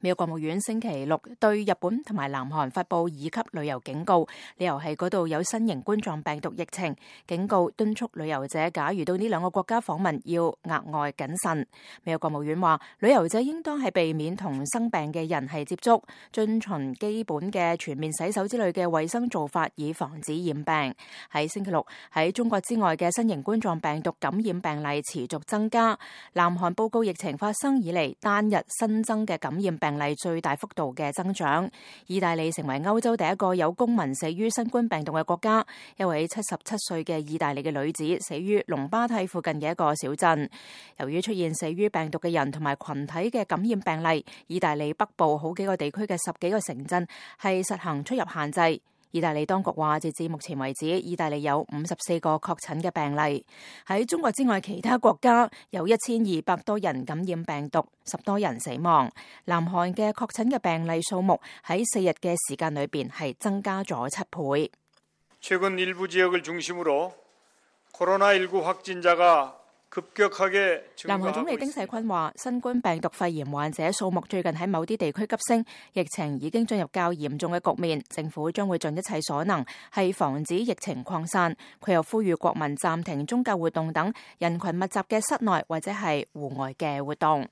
美國國務院星期六對日本同埋南韓發布2級旅遊警告，理由係嗰度有新型冠狀病毒疫情，警告敦促旅遊者假如到呢兩個國家訪問要額外謹慎。美國國務院話，旅遊者應當係避免同生病嘅人係接觸，遵循基本嘅全面洗手之類嘅衛生做法，以防止染病。喺星期六，喺中國之外嘅新型冠狀病毒感染病例持續增加，南韓報告疫情發生以嚟單日新增嘅感染病例最大幅度嘅增長。意大利成為歐洲第一個有公民死於新冠病毒嘅國家，一位77歲嘅意大利嘅女子死於龍巴蒂附近嘅一個小鎮。由於出現死於病毒嘅人同埋群體嘅感染病例，意大利北部好幾個地區嘅10幾個城鎮係實行出入限制。意大利當局話，截至目前為止，意大利有54個確診嘅病例。喺中國之外，其他國家有1200多人感染病毒，10多人死亡。南韓嘅確診嘅病例數目喺4日嘅時間裏邊係增加咗7倍。최근 일부 지역을 중심으로 코로나19 확진자가南韓總理丁世坤話，新冠病毒肺炎患者數目最近喺某啲地區急升，疫情已經進入較嚴重嘅局面，政府將會盡一切所能係防止疫情擴散。佢又呼籲國民暫停宗教活動等人群密集嘅室內或者係戶外嘅活動。